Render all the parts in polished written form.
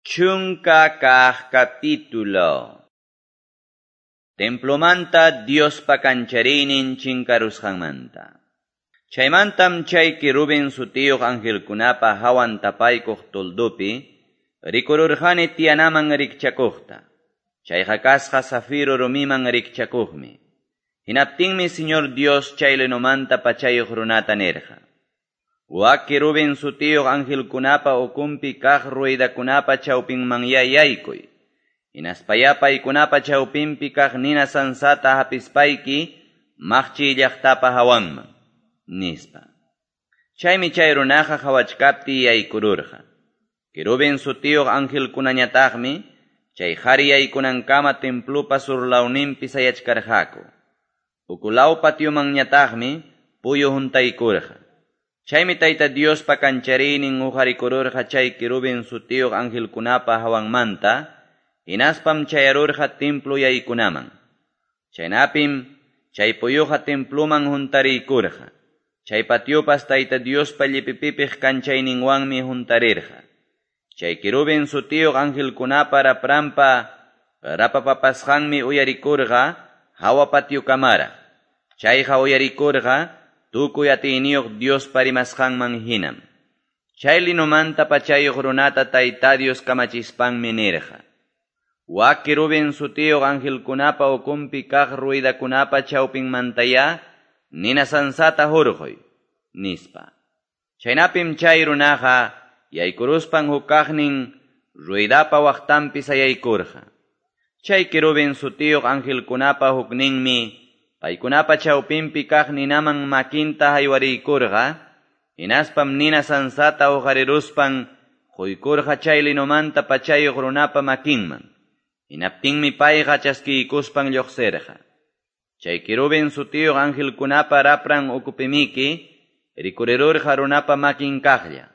Chunka kaq capítulo. Templomanta Diospa kanchariynin chinkarusqanmanta. Chaymantam chay querubin sutiyuq angelkunapa hawan tapaykuq toldopi rikururqani tiyanaman rikchakuqta. Chayqa kasqa zafiro rumiman rikchakuqmi. Hinaptinmi Señor Dios chay linomanta pachayuq runata nirqa: Wak querubin sutiyuq angelkunapa ukunpi kaq ruedakunapa chawpinmanyá yaykuy. Hinaspayá paykunapa chawpinpi kaq nina sansata hapispayki maqchiy llaqtapa hawanman, nispa. Chaymi chay runaqa qhawachkaptiy yaykururqa. Querubin sutiyuq angelkunañataqmi chay qhari yaykunankama templopa surlawninpi sayachkarqaku. Ukulaw patiomanñataqmi puyu huntaykurqa. Chaymi Tayta Diospa kanchariynin huqarikururqa chay querubin sutiyuq angelkunapa hawanmanta, hinaspam chayarurqa templo yaykunaman. Chaynapim chay puyuqa temploman huntariykurqa. Chay patiopas Tayta Diospa llipipipiq kanchayninwanmi huntarirqa. Chay querubin sutiyuq angelkunapa rapranpa rapapapasqanmi uyarikurqa hawa patiokamara. Chayqa uyarikurqa tukuy atiyniyuq Diospa rimasqanman hinam. Chay linomanta pachayuq runata Tayta Dios kamachispanmi nirqa: Wak querubin sutiyuq angelkunapa ukunpi kaq ruedakunapa chawpinmantayá nina sansata hurquy, nispa. Chaynapim chay runaqa yaykuruspan hukaqnin ruedapa waqtanpi sayaykurqa. Chay querubin sutiyuq angelkunapa hukninmi paykunapa chawpinpi kaq ninaman makinta haywariykurqa, hinaspam nina sansata huqariruspan quykurqa chay linomanta pachayuq runapa makinman. Hinaptinmi payqa chaskiykuspan lluqsirqa. Chay querubin sutiyuq angelkunapa rapran ukupimiki rikurirurqa runapa makin kaqlla.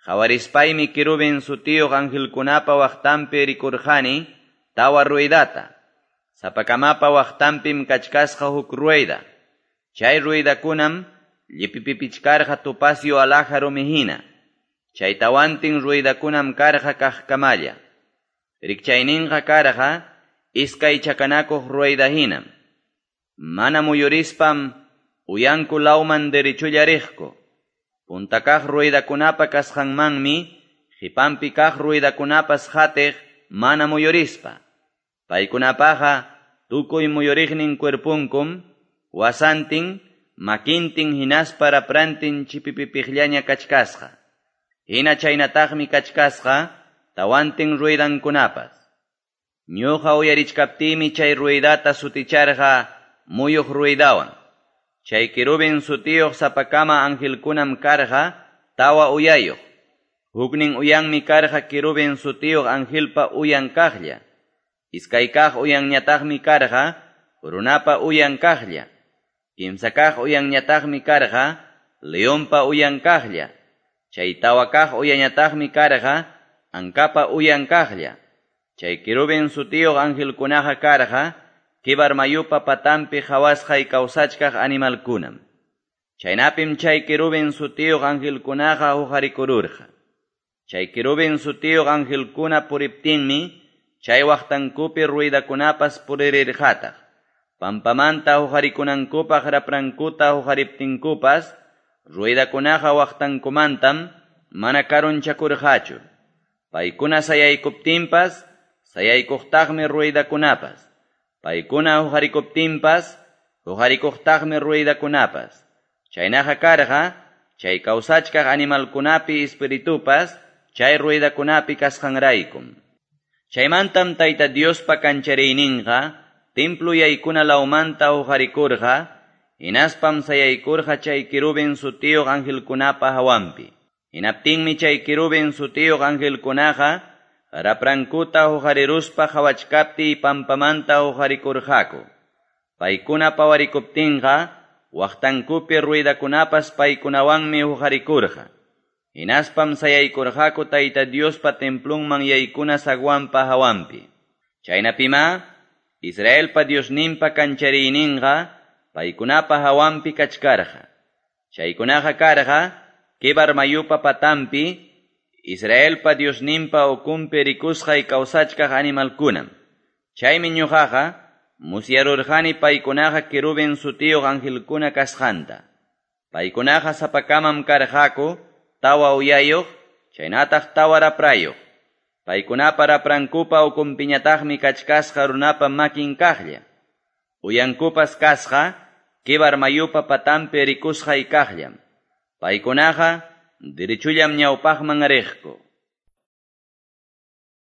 Qhawarispaymi querubin sutiyuq angelkunapa waqtanpi rikurqani tawa ruedata. Sapakamapa waqtanpim kachkasqa huk rueda. Chay ruedakunam llipipipichkarqa topacio alhaja rumi hina. Chay tawantin ruedakunam karqa kaqkamalla. Rikchayninqa karqa iskay chakanakuq rueda hinam. Mana muyurispam uyanku lawman derechulla riqku. Punta kaq ruedakunapa kasqanmanmi qipanpi kaq ruedakunapas qatiq mana muyurispa. Paykunapaqa tukuy muyuriqnin cuerpunkum wasantin, makintin hinaspa raprantin chipipipiqllaña kachkasqa. Hina chaynataqmi kachkasqa tawantin ruedankunapas. Ñuqa uyarichkaptiymi chay ruedata suticharqa muyuq ruedawan. Chay querubin sutiyuq sapakama angelkunam karqa tawa uyayuq. Huknin uyanmi karqa querubin sutiyuq angelpa uyan kaqlla. Iskay kaq uyanñataqmi karqa runapa uyan kaqlla. Kimsa kaq uyanñataqmi karqa leonpa uyan kaqlla. Chay tawa kaq uyañataqmi karqa ankapa uyan kaqlla. Chay querubin sutiyuq angelkunaqa karqa Quebar mayupa patanpi qhawasqay kawsachkaq animalkunam. Chaynapim chay querubin sutiyuq angelkunaqa huqarikururqa. Chay querubin sutiyuq angelkuna puriptinmi chay waqtankupi ruedakunapas puririrqataq. Pampamanta huqarikunankupaq raprankuta huqariptinkupas ruedakunaqa waqtankumantam mana karunchakurqachu. Paykuna sayaykuptinpas sayaykuqtaqmi ruedakunapas. Paykuna huqarikuptinpas huqarikuqtaqmi ruedakunapas. Chaynaqa karqa chay kawsachkaq animalkunapi espiritupas chay ruedakunapi kasqanraykum. Chaymantam Tayta Diospa kanchariyninqa templo yaykuna lawmanta huqarikurqa, hinaspam sayaykurqa chay querubin sutiyuq angelkunapa hawanpi. Hinaptinmi chay querubin sutiyuq angelkunaqa raprankuta huqariruspa qhawachkaptiy pampamanta huqarikurqaku. Paykuna pawarikuptinqa waqtankupi ruedakunapas paykunawanmi huqarikurqa. Hinaspam sayaykurqaku Tayta Diospa templonman yaykuna zaguanpa hawanpi. Chaynapimá Israelpa Diosninpa kanchariyninqa paykunapa hawanpi kachkarqa. Chaykunaqa karqa Quebar mayupa patanpi Israelpa Diosninpa ukunpi rikusqay kawsachkaq animalkunam. Chaymi ñuqaqa musyarurqani paykunaqa querubin sutiyuq angelkuna kasqanta. Paykunaqa sapakamam karqaku tawa uyayuq, chaynataq tawa raprayuq. Paykunapa raprankupa ukunpiñataqmi kachkasqa runapa makin kaqlla. Uyankupas kasqa Quebar mayupa patanpi rikusqay kaqllam. Paykunaqa derechullam ñawpaqman riqku.